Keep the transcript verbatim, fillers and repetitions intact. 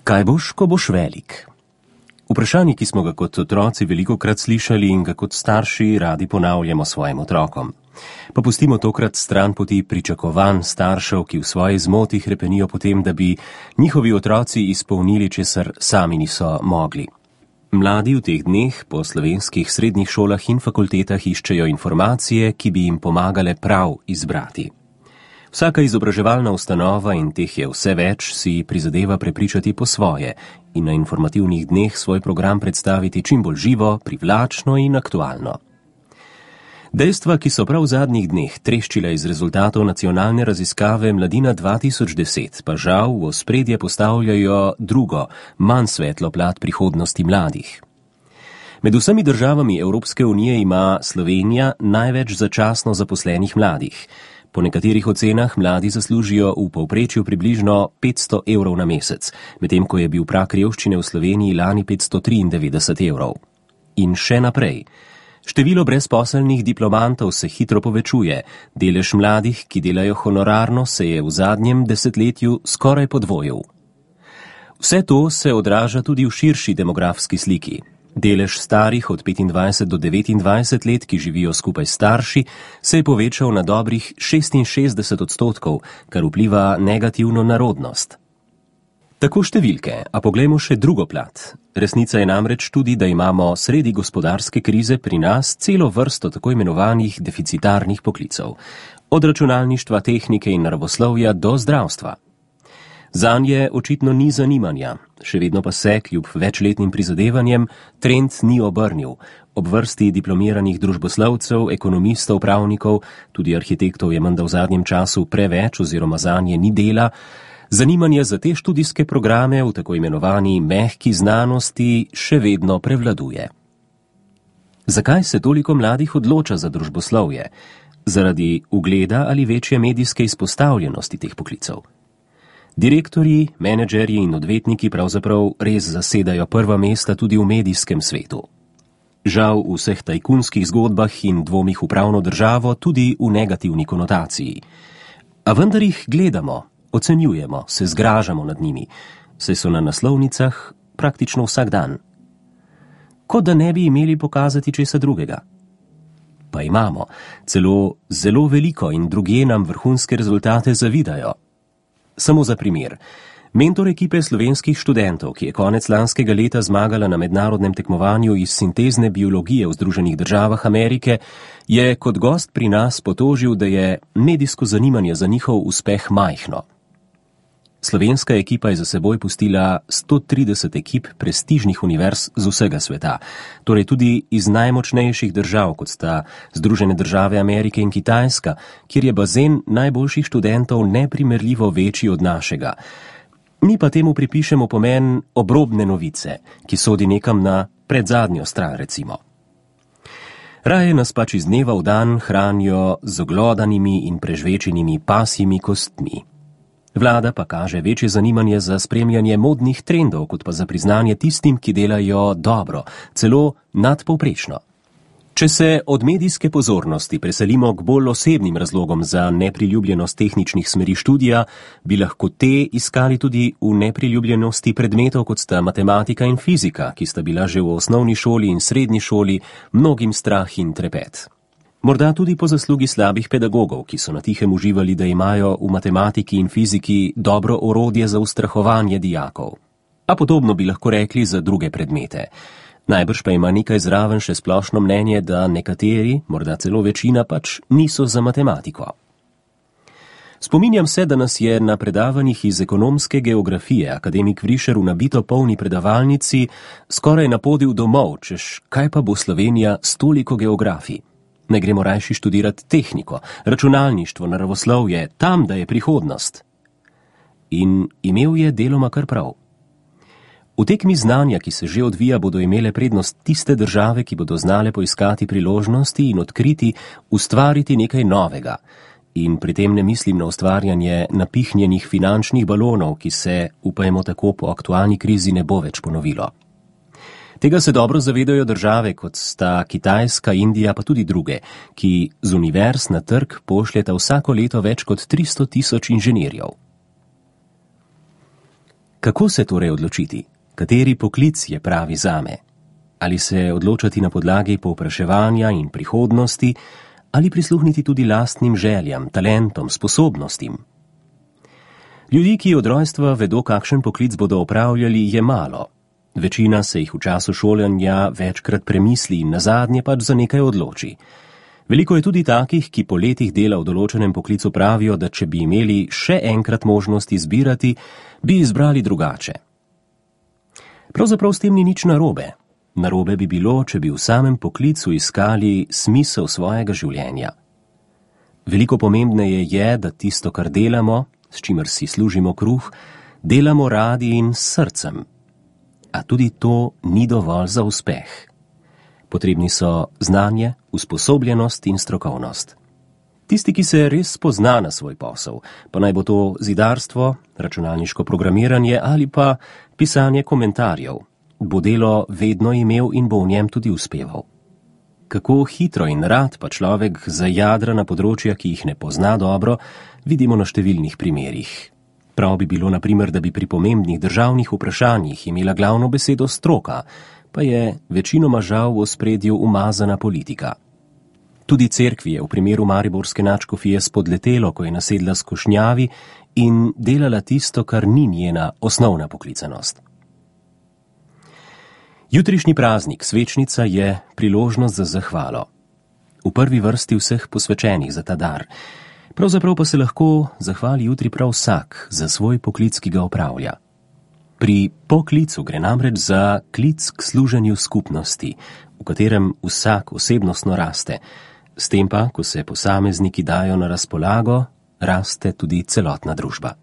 Kaj boš, ko boš velik? Vprašanje, ki smo ga kot otroci velikokrat slišali in ga kot starši radi ponavljamo svojim otrokom. Pa pustimo tokrat stran poti pričakovanj staršev, ki v svoji zmoti hrepenijo potem, da bi njihovi otroci izpolnili, česar sami niso mogli. Mladi v teh dneh po slovenskih srednjih šolah in fakultetah iščejo informacije, ki bi jim pomagale prav izbrati. Vsaka izobraževalna ustanova, in teh je vse več, si prizadeva prepričati po svoje in na informativnih dneh svoj program predstaviti čim bolj živo, privlačno in aktualno. Dejstva, ki so prav v zadnjih dneh treščila iz rezultatov nacionalne raziskave Mladina dva tisoč deset, pa žal v ospredje postavljajo drugo, manj svetlo plat prihodnosti mladih. Med vsemi državami Evropske unije ima Slovenija največ začasno zaposlenih mladih. Po nekaterih ocenah mladi zaslužijo v povprečju približno petsto evrov na mesec, medtem ko je bil prag revščine v Sloveniji lani petsto triindevetdeset evrov. In še naprej. Število brezposelnih diplomantov se hitro povečuje, delež mladih, ki delajo honorarno, se je v zadnjem desetletju skoraj podvojil. Vse to se odraža tudi v širši demografski sliki. Delež starih od petindvajset do devetindvajset let, ki živijo skupaj s starši, se je povečal na dobrih šestinšestdeset odstotkov, kar vpliva negativno na rodnost. Tako številke, a poglejmo še drugo plat. Resnica je namreč tudi, da imamo sredi gospodarske krize pri nas celo vrsto tako imenovanih deficitarnih poklicev. Od računalništva, tehnike in naravoslovja do zdravstva. Zanje očitno ni zanimanja, še vedno pa se, kljub večletnim prizadevanjem, trend ni obrnil. Ob vrsti diplomiranih družboslovcev, ekonomistov, pravnikov, tudi arhitektov je menda v zadnjem času preveč oziroma zanje ni dela, zanimanje za te študijske programe v tako imenovani mehki znanosti še vedno prevladuje. Zakaj se toliko mladih odloča za družboslovje? Zaradi ugleda ali večje medijske izpostavljenosti teh poklicev? Direktorji, menedžerji in odvetniki pravzaprav res zasedajo prva mesta tudi v medijskem svetu. Žal v vseh tajkunskih zgodbah in dvomih v pravno državo tudi v negativni konotaciji. A vendar jih gledamo, ocenjujemo, se zgražamo nad njimi, saj so na naslovnicah praktično vsak dan. Kot da ne bi imeli pokazati česa drugega. Pa imamo, celo zelo veliko in drugje nam vrhunske rezultate zavidajo. Samo za primer. Mentor ekipe slovenskih študentov, ki je konec lanskega leta zmagala na mednarodnem tekmovanju iz sintezne biologije v Združenih državah Amerike, je kot gost pri nas potožil, da je medijsko zanimanje za njihov uspeh majhno. Slovenska ekipa je za seboj pustila sto trideset ekip prestižnih univerz z vsega sveta, torej tudi iz najmočnejših držav, kot sta Združene države Amerike in Kitajska, kjer je bazen najboljših študentov neprimerljivo večji od našega. Mi pa temu pripišemo pomen obrobne novice, ki sodi nekam na predzadnjo stran, recimo. Raje nas pač iz dneva v dan hranijo z oglodanimi in prežvečenimi pasjimi kostmi. Vlada pa kaže večje zanimanje za spremljanje modnih trendov, kot pa za priznanje tistim, ki delajo dobro, celo nadpovprečno. Če se od medijske pozornosti preselimo k bolj osebnim razlogom za nepriljubljenost tehničnih smeri študija, bi lahko te iskali tudi v nepriljubljenosti predmetov, kot sta matematika in fizika, ki sta bila že v osnovni šoli in srednji šoli mnogim strah in trepet. Morda tudi po zaslugi slabih pedagogov, ki so na tihem uživali, da imajo v matematiki in fiziki dobro orodje za ustrahovanje dijakov. A podobno bi lahko rekli za druge predmete. Najbrž pa ima nekaj zraven še splošno mnenje, da nekateri, morda celo večina, pač niso za matematiko. Spominjam se, da nas je na predavanjih iz ekonomske geografije akademik Vrišer v nabito polni predavalnici skoraj napodil domov, češ kaj pa bo Slovenija s toliko geografij. Ne gremo rajši študirati tehniko, računalništvo, naravoslovje, tam, da je prihodnost. In imel je deloma kar prav. V tekmi znanja, ki se že odvija, bodo imele prednost tiste države, ki bodo znale poiskati priložnosti in odkriti, ustvariti nekaj novega. In pri tem ne mislim na ustvarjanje napihnjenih finančnih balonov, ki se, upajmo tako, po aktualni krizi ne bo več ponovilo. Tega se dobro zavedajo države, kot sta Kitajska, Indija, pa tudi druge, ki z univerz na trg pošljeta vsako leto več kot tristo tisoč inženirjev. Kako se torej odločiti? Kateri poklic je pravi zame? Ali se odločati na podlagi povpraševanja in prihodnosti, ali prisluhniti tudi lastnim željam, talentom, sposobnostim? Ljudi, ki od rojstva vedo, kakšen poklic bodo opravljali, je malo. Večina se jih v času šolanja večkrat premisli in nazadnje pač za nekaj odloči. Veliko je tudi takih, ki po letih dela v določenem poklicu pravijo, da če bi imeli še enkrat možnost izbirati, bi izbrali drugače. Pravzaprav s tem ni nič narobe. Narobe bi bilo, če bi v samem poklicu iskali smisel svojega življenja. Veliko pomembneje je, da tisto, kar delamo, s čimer si služimo kruh, delamo radi in s srcem. A tudi to ni dovolj za uspeh. Potrebni so znanje, usposobljenost in strokovnost. Tisti, ki se res spozna na svoj posel, pa naj bo to zidarstvo, računalniško programiranje ali pa pisanje komentarjev, bo delo vedno imel in bo v njem tudi uspeval. Kako hitro in rad pa človek zajadra na področja, ki jih ne pozna dobro, vidimo na številnih primerih. Prav bi bilo, na primer, da bi pri pomembnih državnih vprašanjih imela glavno besedo stroka, pa je večinoma žal v ospredju umazana politika. Tudi cerkvi je v primeru mariborske nadškofije spodletelo, ko je nasedla skušnjavi in delala tisto, kar ni njena osnovna poklicanost. Jutrišnji praznik, svečnica, je priložnost za zahvalo. V prvi vrsti vseh posvečenih za ta dar. Pravzaprav pa se lahko zahvali jutri prav vsak za svoj poklic, ki ga opravlja. Pri poklicu gre namreč za klic k služenju skupnosti, v katerem vsak osebnostno raste. S tem pa, ko se posamezniki dajo na razpolago, raste tudi celotna družba.